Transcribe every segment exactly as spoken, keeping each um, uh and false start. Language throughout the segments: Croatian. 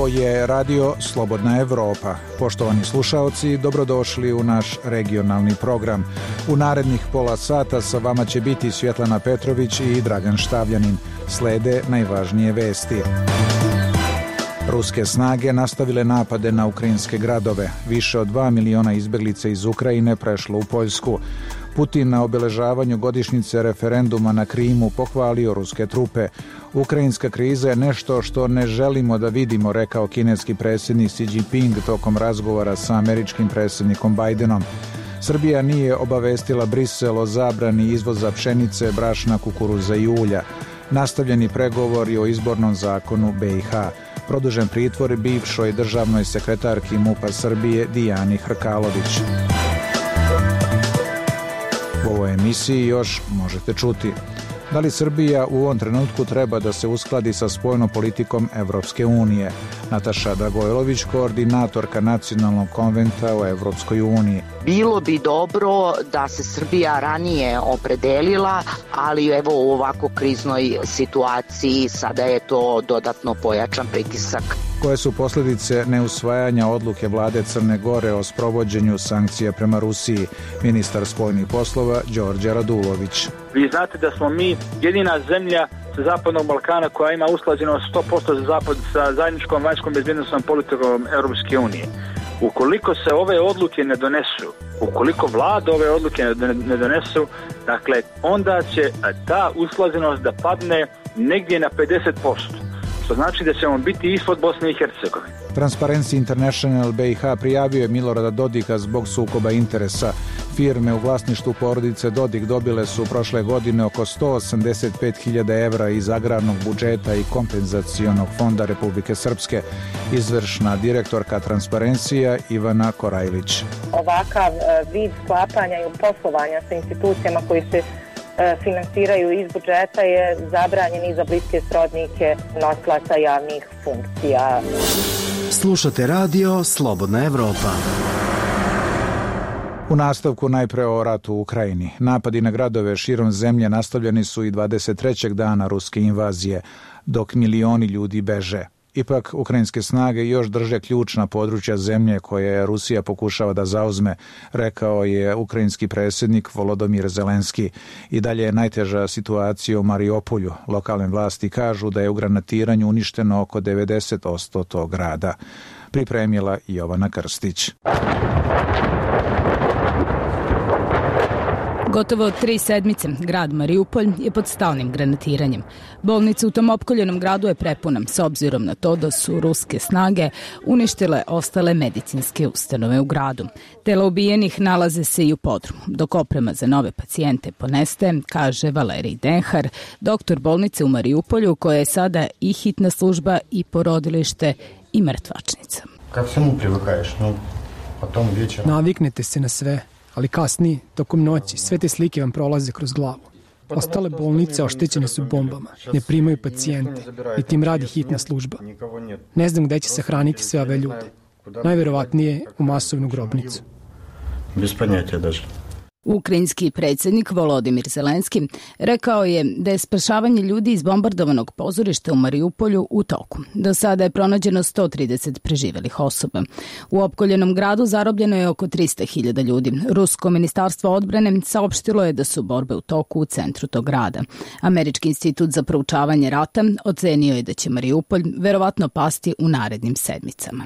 Ovo je radio Slobodna Evropa. Poštovani slušaoci, dobrodošli u naš regionalni program. U narednih pola sata sa vama će biti Svjetlana Petrović i Dragan Štavljanin. Slede najvažnije vesti. Ruske snage nastavile napade na ukrajinske gradove. Više od dva miliona izbjeglica iz Ukrajine prešlo u Poljsku. Putin na obeležavanju godišnjice referenduma na Krimu pohvalio ruske trupe. Ukrajinska kriza je nešto što ne želimo da vidimo, rekao kineski predsjednik Xi Jinping tokom razgovora sa američkim predsjednikom Bajdenom. Srbija nije obavestila Brisel o zabrani izvoza pšenice, brašna, kukuruza i ulja. Nastavljeni pregovori o izbornom zakonu B i H. Produžen pritvor bivšoj državnoj sekretarki MUP-a Srbije Dijani Hrkalović. U ovoj emisiji još možete čuti: da li Srbija u ovom trenutku treba da se uskladi sa spoljnom politikom Evropske unije? Nataša Dragojlović, koordinatorka Nacionalnog konventa o Evropskoj uniji. Bilo bi dobro da se Srbija ranije opredelila, ali evo u ovako kriznoj situaciji sada je to dodatno pojačan pritisak. Koje su posljedice neusvajanja odluke vlade Crne Gore o sprovođenju sankcija prema Rusiji? Ministar spoljnih poslova Đorđe Radulović. Vi znate da smo mi jedina zemlja sa Zapadnog Balkana koja ima usklađeno sto posto za zapad sa zajedničkom vanjskom bezbjednosnom politikom Europske unije. Ukoliko se ove odluke ne donesu, ukoliko vlada ove odluke ne donesu, dakle, onda će ta usklađenost da padne negdje na pedeset posto. Što znači da ćemo biti ispod Bosne i Hercegovine. Transparency International B i H prijavio je Milorada Dodika zbog sukoba interesa. Firme u vlasništvu porodice Dodik dobile su prošle godine oko sto osamdeset pet hiljada evra iz agrarnog budžeta i kompenzacionog fonda Republike Srpske. Izvršna direktorka Transparencija Ivana Korajlić. Ovakav vid sklapanja i poslovanja sa institucijama koji se finansiraju iz budžeta je zabranjen i za bliske srodnike nosilaca javnih funkcija. Slušate radio Slobodna Evropa. U nastavku najpre o ratu u Ukrajini. Napadi na gradove širom zemlje nastavljeni su i dvadeset trećeg dana ruske invazije, dok milioni ljudi beže. Ipak, ukrajinske snage još drže ključna područja zemlje koje Rusija pokušava da zauzme, rekao je ukrajinski predsjednik Volodomir Zelenski. I dalje je najteža situacija u Mariupolju. Lokalne vlasti kažu da je u granatiranju uništeno oko devedeset posto tog grada. Pripremila Jovana Krstić. Gotovo tri sedmice grad Mariupolj je pod stalnim granatiranjem. Bolnica u tom opkoljenom gradu je prepuna, s obzirom na to da su ruske snage uništile ostale medicinske ustanove u gradu. Tela ubijenih nalaze se i u podrumu, dok oprema za nove pacijente ponestaje, kaže Valerij Denhar, doktor bolnice u Mariupolju, koja je sada i hitna služba i porodilište i mrtvačnica. Ka svemu privykaješ, no, potom večera. Naviknete se na sve. Ali kasnije, tokom noći, sve te slike vam prolaze kroz glavu. Ostale bolnice oštećene su bombama, ne primaju pacijente, i tim radi hitna služba. Ne znam gde će se hraniti sve ove ljude. Najverovatnije u masovnu grobnicu. Bez ponятия даже. Ukrajinski predsjednik Volodimir Zelenski rekao je da je spašavanje ljudi iz bombardovanog pozorišta u Mariupolju u toku. Do sada je pronađeno sto trideset preživelih osoba. U opkoljenom gradu zarobljeno je oko tristo hiljada ljudi. Rusko ministarstvo odbrane saopštilo je da su borbe u toku u centru tog grada. Američki institut za proučavanje rata ocenio je da će Mariupolj verovatno pasti u narednim sedmicama.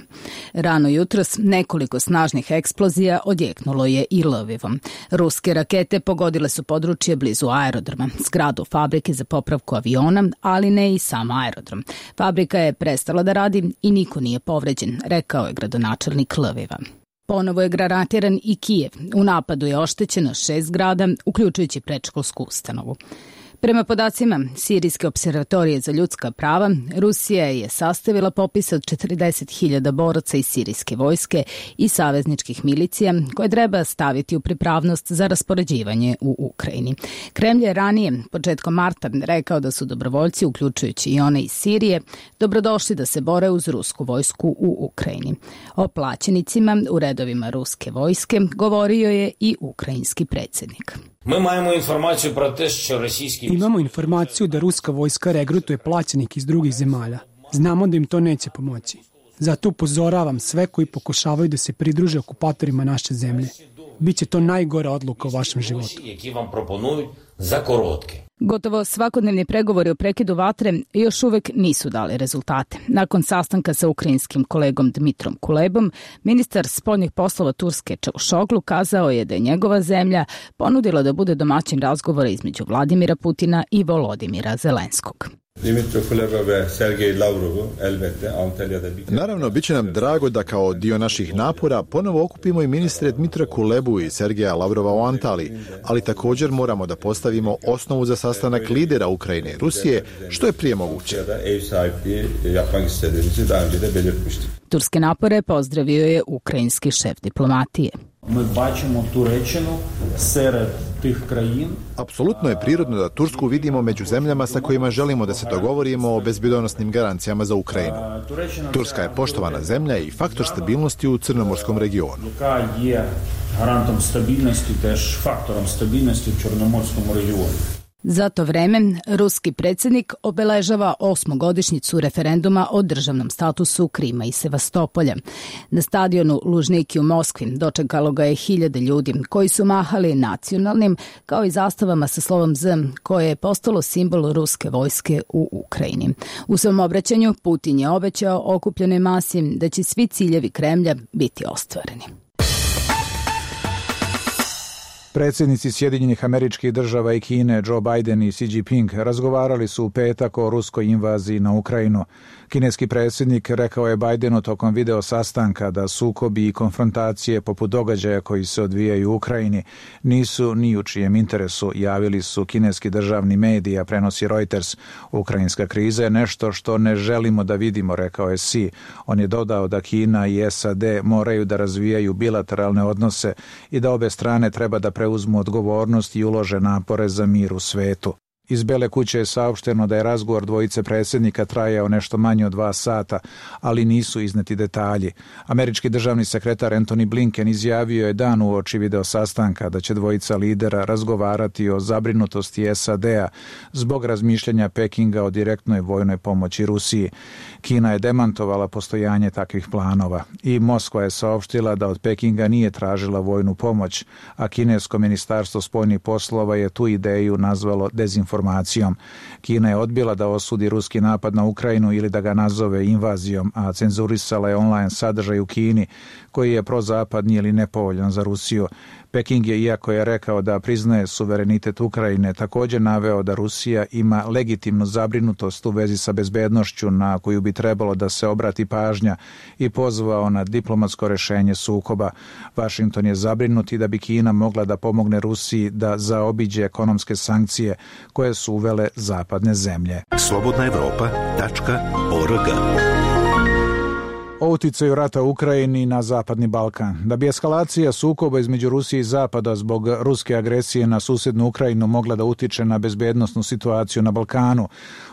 Rano jutros nekoliko snažnih eksplozija odjeknulo je i Lvivom. Ruske rakete pogodile su područje blizu aerodroma, zgradu fabrike za popravku aviona, ali ne i sam aerodrom. Fabrika je prestala da radi i niko nije povređen, rekao je gradonačelnik Lviva. Ponovo je granatiran i Kijev. U napadu je oštećeno šest zgrada, uključujući predškolsku ustanovu. Prema podacima Sirijske observatorije za ljudska prava, Rusija je sastavila popis od četrdeset hiljada boraca iz sirijske vojske i savezničkih milicija koje treba staviti u pripravnost za raspoređivanje u Ukrajini. Kremlj je ranije, početkom marta, rekao da su dobrovoljci, uključujući i one iz Sirije, dobrodošli da se bore uz rusku vojsku u Ukrajini. O plaćenicima u redovima ruske vojske govorio je i ukrajinski predsjednik. Imamo informaciju da ruska vojska regrutuje plaćenike iz drugih zemalja. Znamo da im to neće pomoći. Zato upozoravam sve koji pokušavaju da se pridruže okupatorima naše zemlje. Biće to najgora odluka u vašem životu. Za korotke. Gotovo svakodnevni pregovori o prekidu vatre još uvek nisu dali rezultate. Nakon sastanka sa ukrajinskim kolegom Dmitrom Kulebom, ministar spoljnih poslova Turske Čavušoglu kazao je da je njegova zemlja ponudila da bude domaćin razgovora između Vladimira Putina i Volodimira Zelenskog. Naravno, bit će nam drago da kao dio naših napora ponovo okupimo i ministre Dmitra Kulebu i Sergeja Lavrova u Antaliji, ali također moramo da postavimo osnovu za sastanak lidera Ukrajine i Rusije, što je prije moguće. Turske napore pozdravio je ukrajinski šef diplomatije. Apsolutno je prirodno da Tursku vidimo među zemljama sa kojima želimo da se dogovorimo o bezbednosnim garancijama za Ukrajinu. Turska je poštovana zemlja i faktor stabilnosti u Crnomorskom regionu. Garantom stabilnosti, tež faktorom stabilnosti u Črnomorskom regionu. Za to vreme, ruski predsjednik obeležava osmogodišnjicu referenduma o državnom statusu Krima i Sevastopolja. Na stadionu Lužniki u Moskvi dočekalo ga je hiljade ljudi koji su mahali nacionalnim kao i zastavama sa slovom Z, koje je postalo simbol ruske vojske u Ukrajini. U svom obraćanju Putin je obećao okupljenoj masi da će svi ciljevi Kremlja biti ostvareni. Predsjednici Sjedinjenih Američkih Država i Kine Joe Biden i Xi Jinping razgovarali su u petak o ruskoj invaziji na Ukrajinu. Kineski predsjednik rekao je Bidenu tokom video sastanka da sukobi i konfrontacije poput događaja koji se odvijaju u Ukrajini nisu ni u čijem interesu, javili su kineski državni mediji, a prenosi Reuters. Ukrajinska kriza je nešto što ne želimo da vidimo, rekao je Xi. On je dodao da Kina i S A D moraju da razvijaju bilateralne odnose i da obe strane treba da preuzmu odgovornost i ulože napore za mir u svetu. Iz Bele kuće je saopšteno da je razgovor dvojice predsjednika trajao nešto manje od dva sata, ali nisu izneti detalji. Američki državni sekretar Antony Blinken izjavio je dan uoči video sastanka da će dvojica lidera razgovarati o zabrinutosti S A D-a zbog razmišljanja Pekinga o direktnoj vojnoj pomoći Rusiji. Kina je demantovala postojanje takvih planova i Moskva je saopštila da od Pekinga nije tražila vojnu pomoć, a kinesko ministarstvo spoljnih poslova je tu ideju nazvalo dezinformacijom. Kina je odbila da osudi ruski napad na Ukrajinu ili da ga nazove invazijom, a cenzurisala je online sadržaj u Kini koji je prozapadni ili nepovoljan za Rusiju. Peking je, iako je rekao da priznaje suverenitet Ukrajine, također naveo da Rusija ima legitimnu zabrinutost u vezi sa bezbednošću na koju bi trebalo da se obrati pažnja i pozvao na diplomatsko rešenje sukoba. Washington je zabrinut i da bi Kina mogla da pomogne Rusiji da zaobiđe ekonomske sankcije koje su uvele zapadne zemlje. slobodna evropa tačka org O uticaju rata u Ukrajini na Zapadni Balkan. Da bi eskalacija sukoba između Rusije i Zapada zbog ruske agresije na susednu Ukrajinu mogla da utiče na bezbednosnu situaciju na Balkanu,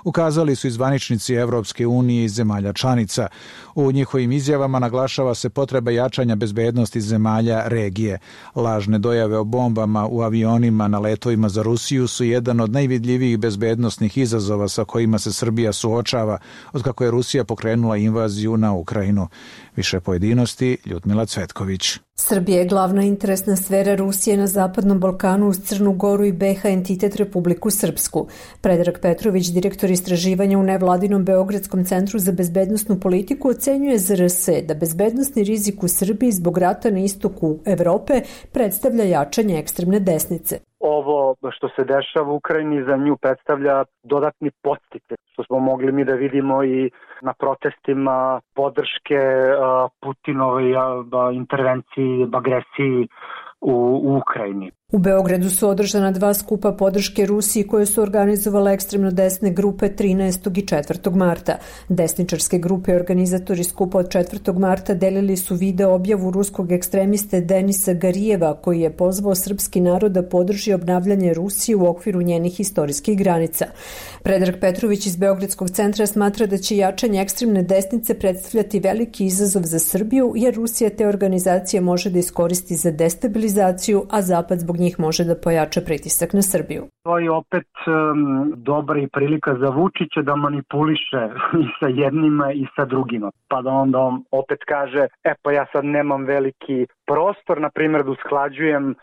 ukazali su i zvaničnici Evropske unije i zemalja članica. U njihovim izjavama naglašava se potreba jačanja bezbednosti zemalja regije. Lažne dojave o bombama u avionima na letovima za Rusiju su jedan od najvidljivijih bezbednosnih izazova sa kojima se Srbija suočava od kako je Rusija pokrenula invaziju na Ukrajinu. Više pojedinosti, Ljudmila Cvetković. Srbija je glavna interesna sfera Rusije na Zapadnom Balkanu uz Crnu Goru i B H entitet Republiku Srpsku. Predrag Petrović, direktor istraživanja u nevladinom Beogradskom centru za bezbednosnu politiku, ocenjuje Z R S da bezbednosni rizik u Srbiji zbog rata na istoku Evrope predstavlja jačanje ekstremne desnice. Ovo što se dešava u Ukrajini za nju predstavlja dodatni podsticaj, što smo mogli mi da vidimo i na protestima podrške Putinovoj intervenciji, agresiji u, u Ukrajini. U Beogradu su održana dva skupa podrške Rusiji koje su organizovale ekstremno desne grupe trinaestog i četvrtog marta. Desničarske grupe i organizatori skupa od četvrtog marta delili su video objavu ruskog ekstremiste Denisa Garijeva koji je pozvao srpski narod da podrži obnavljanje Rusije u okviru njenih istorijskih granica. Predrag Petrović iz Beogradskog centra smatra da će jačanje ekstremne desnice predstavljati veliki izazov za Srbiju jer Rusija te organizacije može da iskoristi za destabilizaciju, a Zapad zbog njih može da pojača pritisak na Srbiju. To je opet um, dobra i prilika za Vučića da manipuliše i sa jednima i sa drugima. Pa da onda on opet kaže, e pa ja sad nemam veliki prostor, na primjer da usklađujem uh,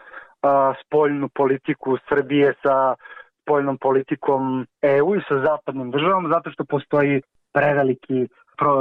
spoljnu politiku Srbije sa spoljnom politikom E U i sa zapadnim državama, zato što postoji preveliki pro,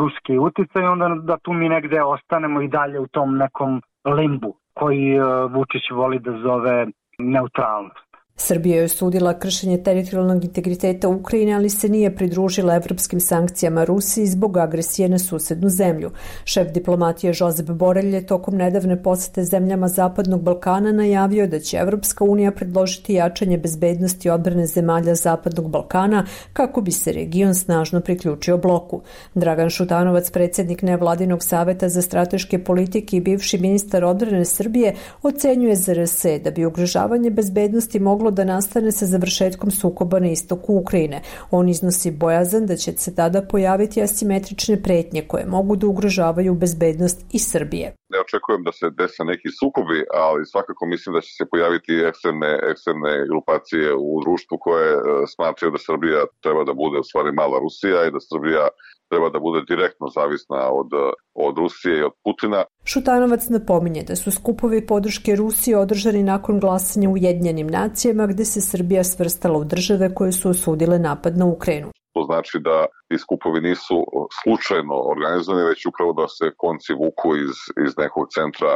ruski uticaj, onda da tu mi negde ostanemo i dalje u tom nekom limbu koji uh, Vučić voli da zove neutralnost. Srbija je osudila kršenje teritorijalnog integriteta Ukrajine, ali se nije pridružila evropskim sankcijama Rusiji zbog agresije na susednu zemlju. Šef diplomatije Josep Borelj je tokom nedavne posete zemljama Zapadnog Balkana najavio da će Evropska unija predložiti jačanje bezbednosti i odbrane zemalja Zapadnog Balkana kako bi se region snažno priključio bloku. Dragan Šutanovac, predsjednik nevladinog saveta za strateške politike i bivši ministar odbrane Srbije, ocenjuje Z R S da bi ugrožavanje bezbednosti moglo da nastane sa završetkom sukoba na istoku Ukrajine. On iznosi bojazan da će se tada pojaviti asimetrične pretnje koje mogu da ugrožavaju bezbednost i Srbije. Ne očekujem da se dese neki sukobi, ali svakako mislim da će se pojaviti ekstremne, ekstremne grupacije u društvu koje smatraju da Srbija treba da bude u stvari mala Rusija i da Srbija treba da bude direktno zavisna od, od Rusije i od Putina. Šutanovac napominje da su skupovi podrške Rusiji održani nakon glasanja u Ujedinjenim nacijama, gde se Srbija svrstala u države koje su osudile napad na Ukrajinu. To znači da ti skupovi nisu slučajno organizovani, već upravo da se konci vuku iz, iz nekog centra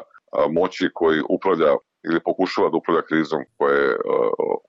moći koji upravlja ili pokušava da upravlja krizom koja je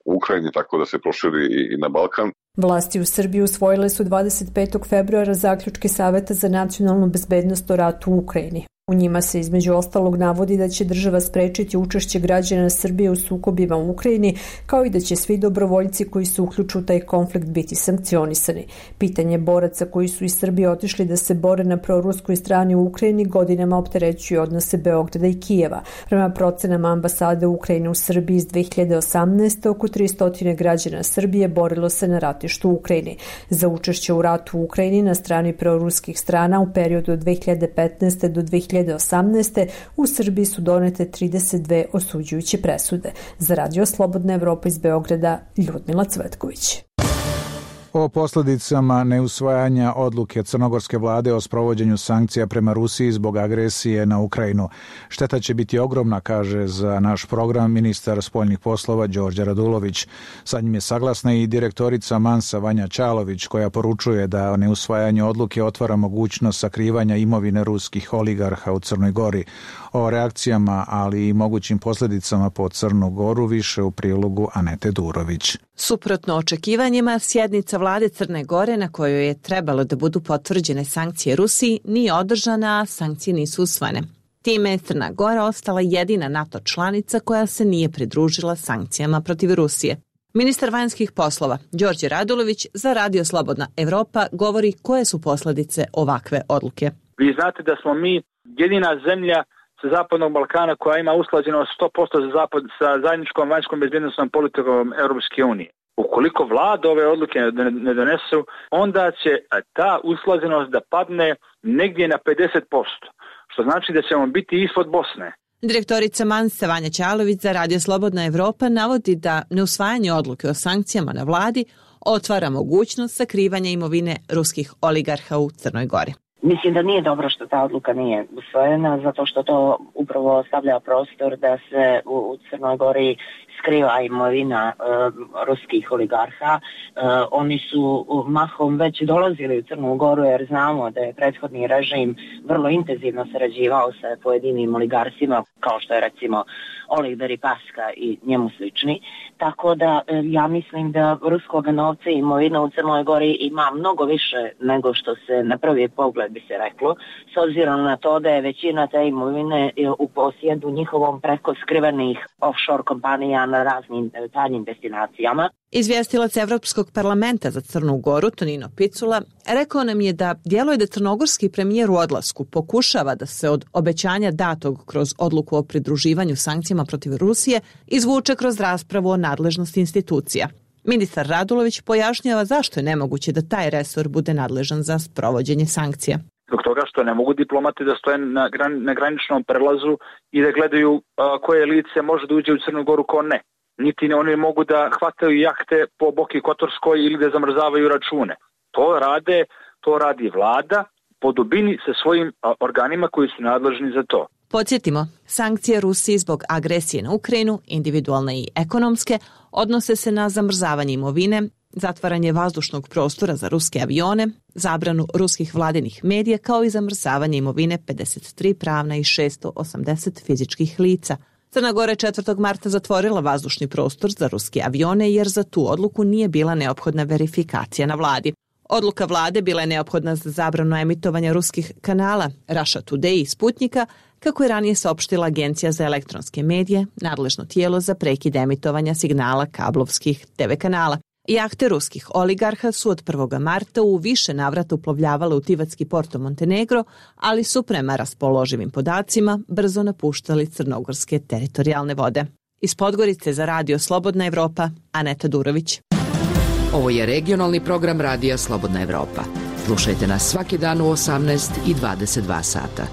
u Ukrajini, tako da se proširi i na Balkan. Vlasti u Srbiji usvojile su dvadeset petog februara zaključke Saveta za nacionalnu bezbednost o ratu u Ukrajini. U njima se između ostalog navodi da će država sprečiti učešće građana Srbije u sukobima u Ukrajini, kao i da će svi dobrovoljci koji se uključu u taj konflikt biti sankcionisani. Pitanje boraca koji su iz Srbije otišli da se bore na proruskoj strani u Ukrajini godinama opterećuju odnose Beograda i Kijeva. Prema procenama ambasade Ukrajine u Srbiji iz dve hiljade osamnaeste. oko tristo građana Srbije borilo se na ratištu u Ukrajini. Za učešće u ratu u Ukrajini na strani proruskih strana u periodu od dve hiljade petnaeste. do dve hiljade osamnaeste. u Srbiji su donete trideset dve osuđujuće presude. Za Radio Slobodna Evropa iz Beograda, Ljudmila Cvetković. O posljedicama neusvajanja odluke crnogorske vlade o sprovođenju sankcija prema Rusiji zbog agresije na Ukrajinu. Šteta će biti ogromna, kaže za naš program ministar spoljnih poslova Đorđe Radulović. Sa njim je saglasna i direktorica Mansa Vanja Čalović, koja poručuje da neusvajanje odluke otvara mogućnost sakrivanja imovine ruskih oligarha u Crnoj Gori. O reakcijama, ali i mogućim posljedicama po Crnu Goru više u prilogu Anete Durović. Suprotno očekivanjima, sjednica vlade Crne Gore na kojoj je trebalo da budu potvrđene sankcije Rusiji nije održana, a sankcije nisu usvojene. Time je Crna Gora ostala jedina NATO članica koja se nije pridružila sankcijama protiv Rusije. Ministar vanjskih poslova Đorđe Radulović za Radio Slobodna Evropa govori koje su posljedice ovakve odluke. Vi znate da smo mi jedina zemlja sa Zapadnog Balkana koja ima usklađeno sto posto za zapad sa zajedničkom vanjskom bezbjednosnom politikom Europske unije. Ukoliko vlada ove odluke ne donesu, onda će ta usklađenost da padne negdje na pedeset posto, što znači da ćemo biti ispod Bosne. Direktorica Mansa Vanja Čalović za Radio Slobodna Evropa navodi da neusvajanje odluke o sankcijama na vladi otvara mogućnost sakrivanja imovine ruskih oligarha u Crnoj Gori. Mislim da nije dobro što ta odluka nije usvojena, zato što to upravo ostavlja prostor da se u, u Crnoj Gori skriva imovina e, ruskih oligarha. E, oni su mahom već dolazili u Crnu Goru jer znamo da je prethodni režim vrlo intenzivno sarađivao sa pojedinim oligarsima, kao što je recimo Oleg Deripaska i njemu slični. Tako da e, ja mislim da ruskog novca i imovina u Crnoj Gori ima mnogo više nego što se na prvi pogled bi se reklo, s obzirom na to da je većina te imovine u posjedu njihovom preko skrivenih offshore kompanija na raznim tajnim destinacijama. Izvjestilac Evropskog parlamenta za Crnu Goru, Tonino Picula, rekao nam je da djeluje da crnogorski premijer u odlasku pokušava da se od obećanja datog kroz odluku o pridruživanju sankcijama protiv Rusije izvuče kroz raspravu o nadležnosti institucija. Ministar Radulović pojašnjava zašto je nemoguće da taj resor bude nadležan za sprovođenje sankcija. Zbog toga što ne mogu diplomati da stoje na, gran, na graničnom prelazu i da gledaju a, koje lice može da uđe u Crnu Goru, ko ne. Niti oni mogu da hvataju jahte po Boki Kotorskoj ili da zamrzavaju račune. To rade, to radi vlada po dubini sa svojim a, organima koji su nadležni za to. Podsjetimo, sankcije Rusiji zbog agresije na Ukrajinu, individualne i ekonomske, odnose se na zamrzavanje imovine, zatvaranje vazdušnog prostora za ruske avione, zabranu ruskih vladinih medija kao i zamrzavanje imovine pedeset tri pravna i šesto osamdeset fizičkih lica. Crna Gora je četvrtog marta zatvorila vazdušni prostor za ruske avione jer za tu odluku nije bila neophodna verifikacija na vladi. Odluka vlade bila je neophodna za zabranu emitovanja ruskih kanala Russia Today i Sputnika, kako je ranije saopštila Agencija za elektronske medije, nadležno tijelo za prekid emitovanja signala kablovskih te ve kanala. Jahte ruskih oligarha su od prvog marta u više navrata uplovljavale u Tivatski Porto Montenegro, ali su prema raspoloživim podacima brzo napuštali crnogorske teritorijalne vode. Iz Podgorice za Radio Slobodna Evropa, Aneta Durović. Ovo je regionalni program Radija Slobodna Evropa. Slušajte nas svaki dan u osamnaest i dvadeset dva sata.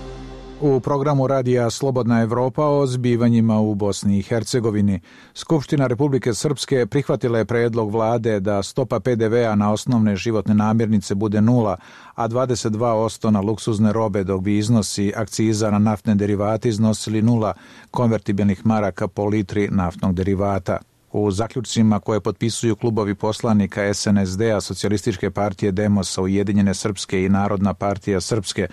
U programu Radija Slobodna Evropa o zbivanjima u Bosni i Hercegovini, Skupština Republike Srpske prihvatila je predlog vlade da stopa pe de ve a na osnovne životne namirnice bude nula, a dvadeset dva posto na luksuzne robe, dok bi iznosi akciza na naftne derivate iznosili nula konvertibilnih maraka po litri naftnog derivata. U zaključcima koje potpisuju klubovi poslanika es en es de a, Socijalističke partije Demosa, Ujedinjene Srpske i Narodna partija Srpske,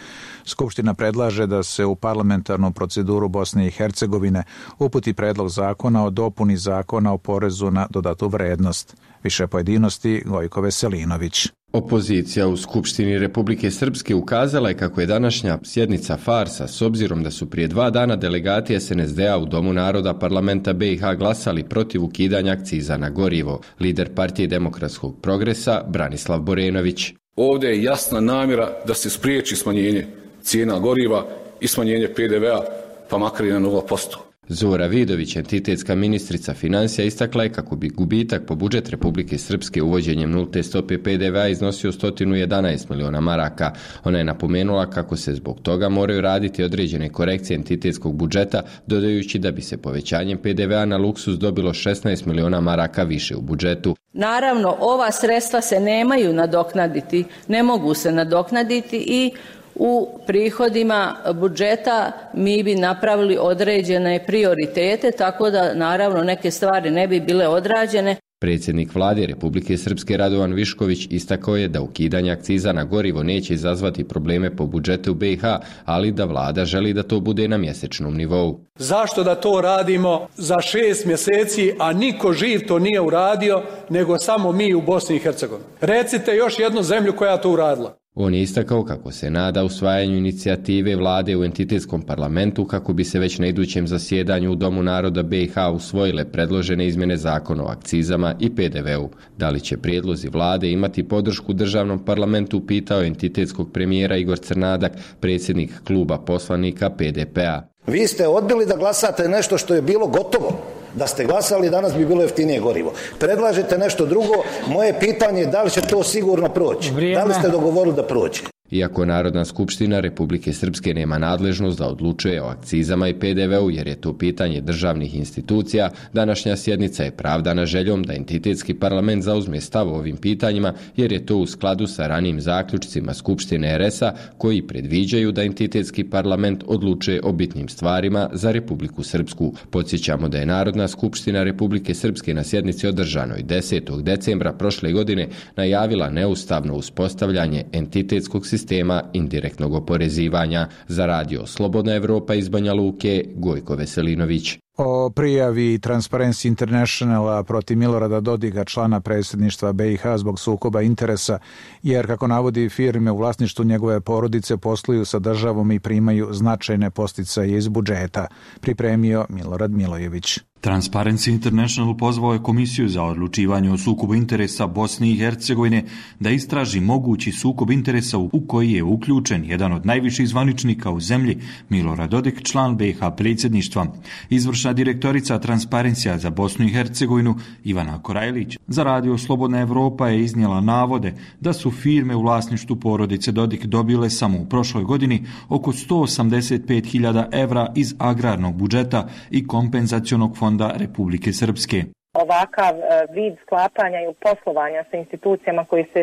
Skupština predlaže da se u parlamentarnu proceduru Bosne i Hercegovine uputi predlog zakona o dopuni zakona o porezu na dodatu vrednost. Više pojedinosti Gojko Veselinović. Opozicija u Skupštini Republike Srpske ukazala je kako je današnja sjednica farsa s obzirom da su prije dva dana delegati es en es de a u Domu naroda parlamenta be i ha glasali protiv ukidanja akciza na gorivo. Lider partije Demokratskog progresa Branislav Borenović. Ovdje je jasna namjera da se spriječi smanjenje cijena goriva i smanjenje pe de ve a, pa makar i na nula posto. Zora Vidović, entitetska ministrica financija, istakla je kako bi gubitak po budžet Republike Srpske uvođenjem nulte stope pe de ve a iznosio sto jedanaest miliona maraka. Ona je napomenula kako se zbog toga moraju raditi određene korekcije entitetskog budžeta, dodajući da bi se povećanjem pe de ve a na luksuz dobilo šesnaest miliona maraka više u budžetu. Naravno, ova sredstva se nemaju nadoknaditi, ne mogu se nadoknaditi i u prihodima budžeta mi bi napravili određene prioritete, tako da naravno neke stvari ne bi bile odrađene. Predsjednik vlade Republike Srpske Radovan Višković istakao je da ukidanje akciza na gorivo neće izazvati probleme po budžetu be i ha, ali da vlada želi da to bude na mjesečnom nivou. Zašto da to radimo za šest mjeseci, a niko živ to nije uradio, nego samo mi u Bosni i Hercegovini? Recite još jednu zemlju koja to uradila. On je istakao kako se nada usvajanju inicijative vlade u entitetskom parlamentu kako bi se već na idućem zasjedanju u Domu naroda be i ha usvojile predložene izmjene zakona o akcizama i pe de ve u. Da li će prijedlozi vlade imati podršku državnom parlamentu, pitao je entitetskog premijera Igor Crnadak, predsjednik kluba poslanika pe de pe a. Vi ste odbili da glasate nešto što je bilo gotovo. Da ste glasali, danas bi bilo jeftinije gorivo. Predlažete nešto drugo, moje pitanje je da li će to sigurno proći. Vrijeme. Da li ste dogovorili da proći? Iako Narodna skupština Republike Srpske nema nadležnost da odlučuje o akcizama i pe de ve u jer je to pitanje državnih institucija, današnja sjednica je pravdana željom da entitetski parlament zauzme stav o ovim pitanjima jer je to u skladu sa ranijim zaključcima Skupštine er es a koji predviđaju da entitetski parlament odlučuje o bitnim stvarima za Republiku Srpsku. Podsjećamo da je Narodna skupština Republike Srpske na sjednici održanoj desetog decembra prošle godine najavila neustavno uspostavljanje entitetskog sistema sistema indirektnog oporezivanja. Za Radio Slobodna Evropa iz Banja Luke, Gojko Veselinović. O prijavi Transparency Internationala protiv Milorada Dodiga, člana predsjedništva be i ha zbog sukoba interesa, jer, kako navodi, firme u vlasništvu njegove porodice posluju sa državom i primaju značajne podsticaje iz budžeta, pripremio Milorad Milojević. Transparency International pozvao je Komisiju za odlučivanje o sukobu interesa Bosne i Hercegovine da istraži mogući sukob interesa u koji je uključen jedan od najviših zvaničnika u zemlji, Milorad Dodik, član B iH predsjedništva. Izvršna direktorica Transparencija za Bosnu i Hercegovinu, Ivana Korajlić, za Radio Slobodna Evropa je iznijela navode da su firme u vlasništvu porodice Dodik dobile samo u prošloj godini oko sto osamdeset pet hiljada evra iz agrarnog budžeta i kompenzacionog fonda Republike Srpske. Ovakav vid sklapanja i poslovanja sa institucijama koji se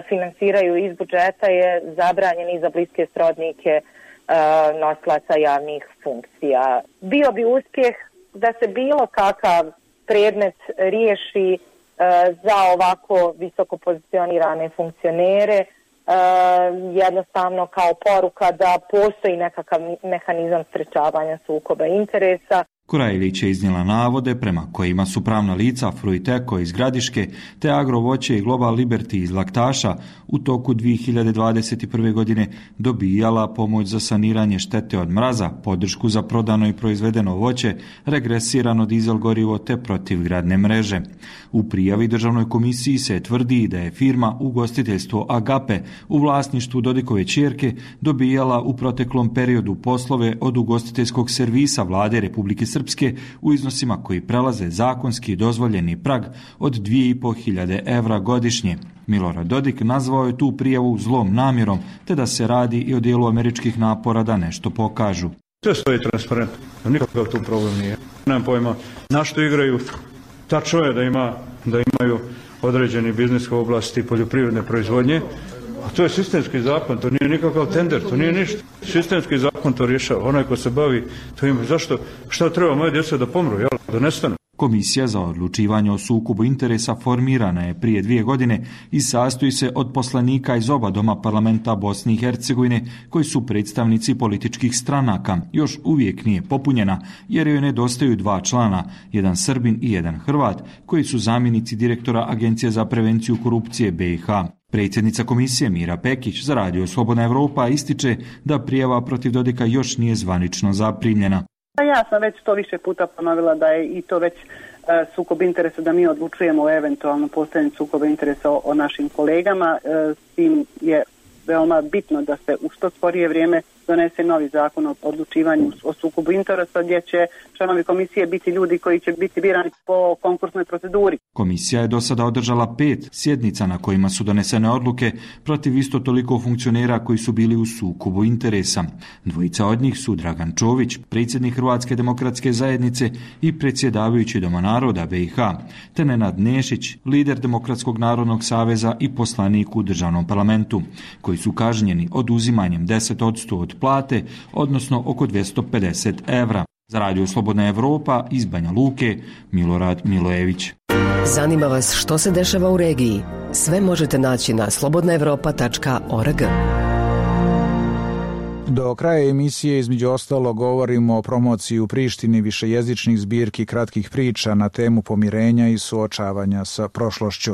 finansiraju iz budžeta je zabranjen i za bliske srodnike nosilaca javnih funkcija. Bio bi uspjeh da se bilo kakav predmet riješi za ovako visoko pozicionirane funkcionere, jednostavno kao poruka da postoji nekakav mehanizam sprečavanja sukoba interesa. Korajlić je iznijela navode prema kojima su pravna lica Fruiteko iz Gradiške te Agrovoće i Global Liberty iz Laktaša u toku dvije hiljade dvadeset prve. godine dobijala pomoć za saniranje štete od mraza, podršku za prodano i proizvedeno voće, regresirano dizel gorivo te protivgradne mreže. U prijavi Državnoj komisiji se tvrdi da je firma Ugostiteljstvo Agape u vlasništvu Dodikove ćerke dobijala u proteklom periodu poslove od ugostiteljskog servisa Vlade Republike Srpske u iznosima koji prelaze zakonski dozvoljeni prag od dvije i po hiljade evra godišnje. Milorad Dodik nazvao je tu prijavu zlom namjerom, te da se radi i o dijelu američkih napora da nešto pokažu. Sve stoji transparentno, nikakav tu problem nije. Nemam pojma na što igraju. Tačno je da, ima, da imaju određeni biznis u oblasti poljoprivredne proizvodnje, a to je sistemski zakon, to nije nikakav tender, to nije ništa. Sistemski zakon to rješava. Onaj ko se bavi, to ima zašto, šta treba moje djece da pomru, jel, da nestanu. Komisija za odlučivanje o sukobu interesa formirana je prije dvije godine i sastoji se od poslanika iz oba doma parlamenta Bosne i Hercegovine koji su predstavnici političkih stranaka. Još uvijek nije popunjena jer joj nedostaju dva člana, jedan Srbin i jedan Hrvat, koji su zamjenici direktora Agencije za prevenciju korupcije B iH. Predsjednica komisije Mira Pekić za Radio Slobodna Evropa ističe da prijava protiv Dodika još nije zvanično zaprimljena. Ja sam već to više puta ponovila da je i to već e, sukob interesa, da mi odlučujemo o eventualno postojanju sukoba interesa o, o našim kolegama. E, s tim je veoma bitno da se u što skorije vrijeme donese novi zakon o odlučivanju o sukobu interesa gdje će članovi komisije biti ljudi koji će biti birani po konkursnoj proceduri. Komisija je do sada održala pet sjednica na kojima su donesene odluke protiv isto toliko funkcionera koji su bili u sukobu interesa. Dvojica od njih su Dragan Čović, predsjednik Hrvatske demokratske zajednice i predsjedavajući Doma naroda B iH, te Nenad Nešić, lider Demokratskog narodnog saveza i poslanik u državnom parlamentu, koji su kažnjeni oduzimanjem deset posto od plate, odnosno oko dvjesto pedeset evra. Za Radio Slobodna Evropa iz Banja Luke, Milorad Milojević. Zanima vas što se dešava u regiji? Sve možete naći na slobodna evropa tačka org. Do kraja emisije između ostalo govorimo o promociji u Prištini višejezičnih zbirki kratkih priča na temu pomirenja i suočavanja sa prošlošću.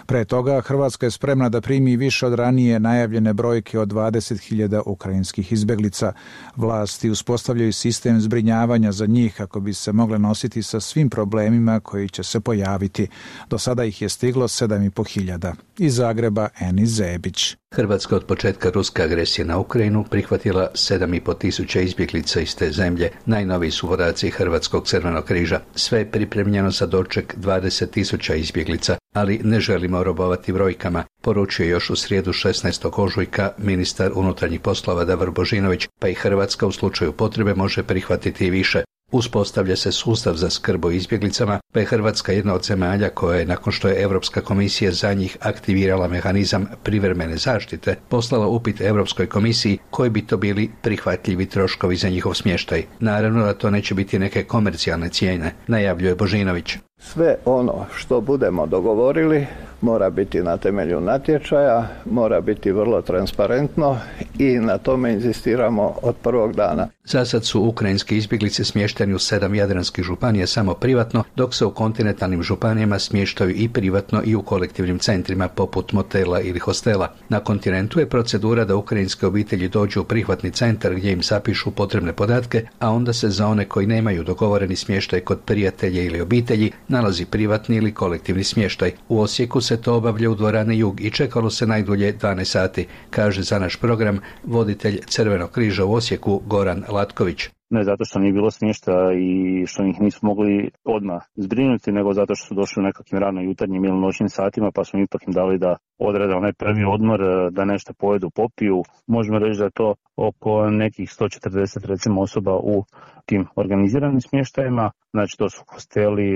Pre toga, Hrvatska je spremna da primi više od ranije najavljene brojke od dvadeset hiljada ukrajinskih izbeglica. Vlasti uspostavljaju sistem zbrinjavanja za njih kako bi se mogle nositi sa svim problemima koji će se pojaviti. Do sada ih je stiglo sedam i po hiljada. Iz Zagreba, Enis Zebić. Hrvatska od početka ruske agresije na Ukrajinu prihvatila sedam i po tisuća izbjeglica iz te zemlje. Najnoviji su podaci Hrvatskog crvenog križa. Sve je pripremljeno za doček dvadeset tisuća izbjeglica, ali ne želimo robovati brojkama, poručio je još u srijedu šesnaestog ožujka ministar unutarnjih poslova Davor Božinović, pa i Hrvatska u slučaju potrebe može prihvatiti i više. Uspostavlja se sustav za skrb o izbjeglicama, pa je Hrvatska jedna od zemalja koja je, nakon što je Europska komisija za njih aktivirala mehanizam privremene zaštite, poslala upit Europskoj komisiji koji bi to bili prihvatljivi troškovi za njihov smještaj. Naravno da to neće biti neke komercijalne cijene, najavljuje Božinović. Sve ono što budemo dogovorili mora biti na temelju natječaja, mora biti vrlo transparentno i na tome inzistiramo od prvog dana. Za sad su ukrajinske izbjeglice smješteni u sedam jadranskih županija samo privatno, dok se u kontinentalnim županijama smještaju i privatno i u kolektivnim centrima poput motela ili hostela. Na kontinentu je procedura da ukrajinske obitelji dođu u prihvatni centar gdje im zapišu potrebne podatke, a onda se za one koji nemaju dogovoreni smještaj kod prijatelja ili obitelji nalazi privatni ili kolektivni smještaj. U Osijeku se to obavlja u dvorani Jug i čekalo se najdulje dvanaest sati, kaže za naš program voditelj Crvenog križa u Osijeku Goran Latković. Ne zato što nije bilo smještaja i što ih nismo mogli odmah zbrinuti, nego zato što su došli u nekakvim rano jutarnjim ili noćnim satima, pa smo ipak im dali da odrade onaj prvi odmor, da nešto pojedu, popiju. Možemo reći da je to oko nekih sto četrdeset recimo osoba u tim organiziranim smještajima. Znači to su hosteli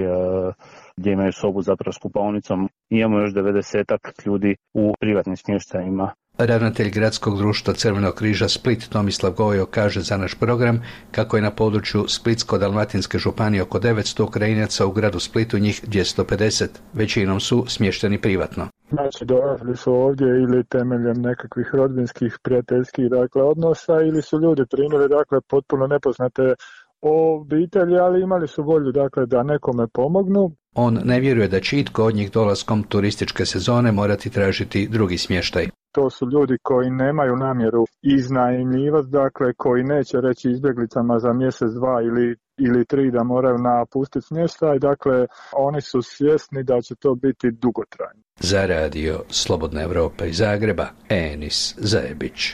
gdje imaju sobu zapravo s kupaonicom. Imamo još devedesetak ljudi u privatnim smještajima. Ravnatelj Gradskog društva Crvenog križa Split Tomislav Gojo kaže za naš program kako je na području Splitsko-dalmatinske županije oko devetsto Ukrajinaca, u gradu Splitu njih dvjesto pedeset. Većinom su smješteni privatno. Znači dolazili su ovdje ili temeljem nekakvih rodbinskih, prijateljskih dakle, odnosa ili su ljudi primili dakle, potpuno nepoznate obitelji, ali imali su volju dakle, da nekome pomognu. On ne vjeruje da će itko od njih dolaskom turističke sezone morati tražiti drugi smještaj. To su ljudi koji nemaju namjeru iznajmljivati, dakle koji neće reći izbjeglicama za mjesec, dva ili, ili tri da moraju napustiti smještaj, dakle oni su svjesni da će to biti dugotrajno. Za radio Slobodna Evropa iz Zagreba, Enis Zajebić.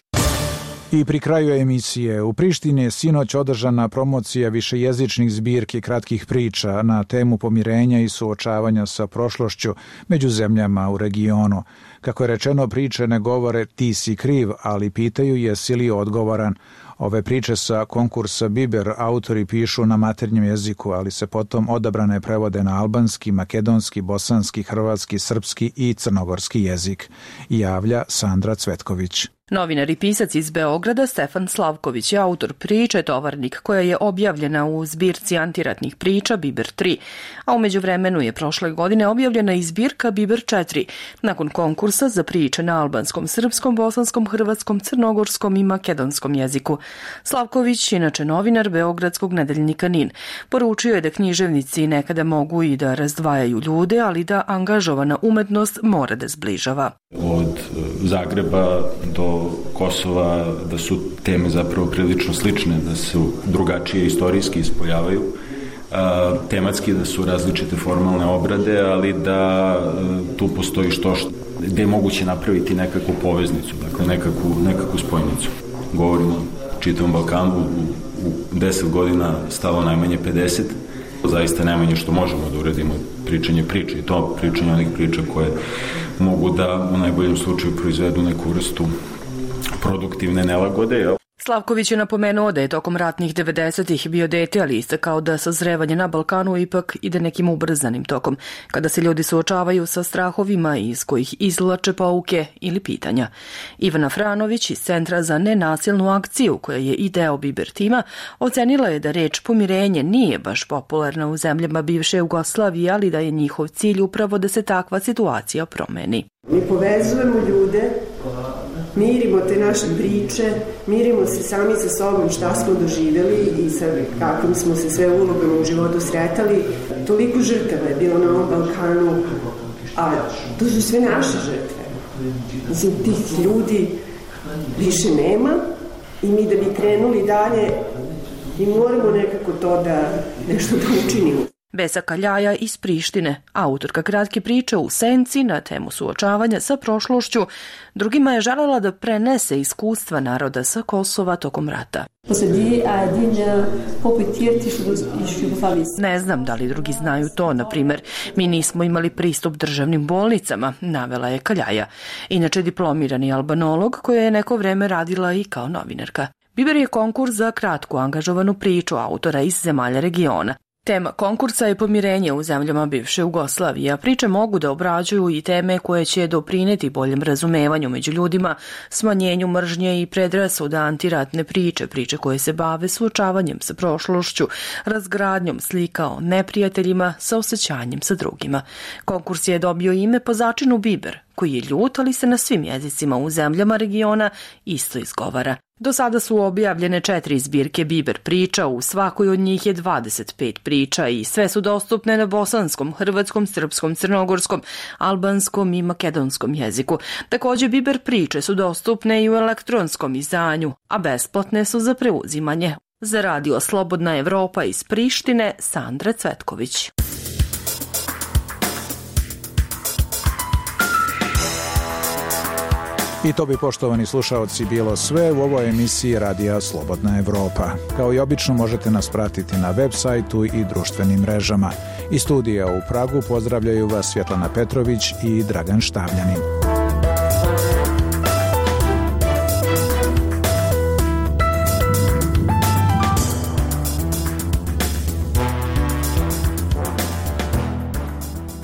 I pri kraju emisije u Prištini je sinoć održana promocija višejezičnih zbirki kratkih priča na temu pomirenja i suočavanja sa prošlošću među zemljama u regionu. Kako je rečeno, priče ne govore ti si kriv, ali pitaju jesi li odgovoran. Ove priče sa konkursa Biber autori pišu na maternjem jeziku, ali se potom odabrane prevode na albanski, makedonski, bosanski, hrvatski, srpski i crnogorski jezik. Javlja Sandra Cvetković. Novinar i pisac iz Beograda Stefan Slavković je autor priče Tovarnik, koja je objavljena u zbirci antiratnih priča Biber tri, a u međuvremenu je prošle godine objavljena i zbirka Biber četiri, nakon konkursa za priče na albanskom, srpskom, bosanskom, hrvatskom, crnogorskom i makedonskom jeziku. Slavković, inače novinar beogradskog nedeljnika Nin, poručio je da književnici nekada mogu i da razdvajaju ljude, ali da angažovana umetnost mora da zbližava. Od Zagreba do Kosova, da su teme zapravo prilično slične, da su drugačije istorijski ispoljavaju, a, tematski da su različite formalne obrade, ali da a, tu postoji što, što gde je moguće napraviti nekakvu poveznicu, dakle nekakvu, nekakvu spojnicu. Govorimo o čitavom Balkanu, u, u deset godina stalo najmanje pedeset, zaista najmanje što možemo da uradimo pričanje priče i to pričanje onih priča koje mogu da u najboljem slučaju proizvedu neku vrstu produktivne nelagode. Jel? Slavković je napomenuo da je tokom ratnih devedesetih bio dete, ali istakao da sazrevanje na Balkanu ipak ide nekim ubrzanim tokom, kada se ljudi suočavaju sa strahovima iz kojih izvlače pouke ili pitanja. Ivana Franović iz Centra za nenasilnu akciju, koja je i deo Biber tima, ocenila je da reč pomirenje nije baš popularna u zemljama bivše Jugoslavije, ali da je njihov cilj upravo da se takva situacija promeni. Mi povezujemo ljude, mirimo te naše priče, mirimo se sami sa sobom šta smo doživjeli i sa kakvim smo se sve ulogama u životu sretali. Toliko žrtava je bilo na ovom Balkanu, a to su sve naše žrtve. Mislim, tih ljudi više nema i mi da bi krenuli dalje, mi moramo nekako to da nešto da učinimo. Besa Kaljaja iz Prištine, autorka kratke priče U senci na temu suočavanja sa prošlošću, drugima je želela da prenese iskustva naroda sa Kosova tokom rata. Ne znam da li drugi znaju to, na primjer, mi nismo imali pristup državnim bolnicama, navela je Kaljaja, inače diplomirani albanolog koja je neko vreme radila i kao novinarka. Biber je konkurs za kratku angažovanu priču autora iz zemalja regiona. Tema konkursa je pomirenje u zemljama bivše Jugoslavije, a priče mogu da obrađuju i teme koje će doprineti boljem razumevanju među ljudima, smanjenju mržnje i predrasuda, antiratne priče, priče koje se bave suočavanjem sa prošlošću, razgradnjom slika o neprijateljima, sa osjećanjem sa drugima. Konkurs je dobio ime po začinu Biber, koji je ljut, ali se na svim jezicima u zemljama regiona isto izgovara. Do sada su objavljene četiri zbirke Biber priča, u svakoj od njih je dvadeset pet priča i sve su dostupne na bosanskom, hrvatskom, srpskom, crnogorskom, albanskom i makedonskom jeziku. Također Biber priče su dostupne i u elektronskom izdanju, a besplatne su za preuzimanje. Za radio Slobodna Evropa iz Prištine, Sandra Cvetković. I to bi, poštovani slušaoci, bilo sve u ovoj emisiji Radija Slobodna Evropa. Kao i obično možete nas pratiti na web sajtu i društvenim mrežama. Iz studija u Pragu pozdravljaju vas Svjetlana Petrović i Dragan Štavljanin.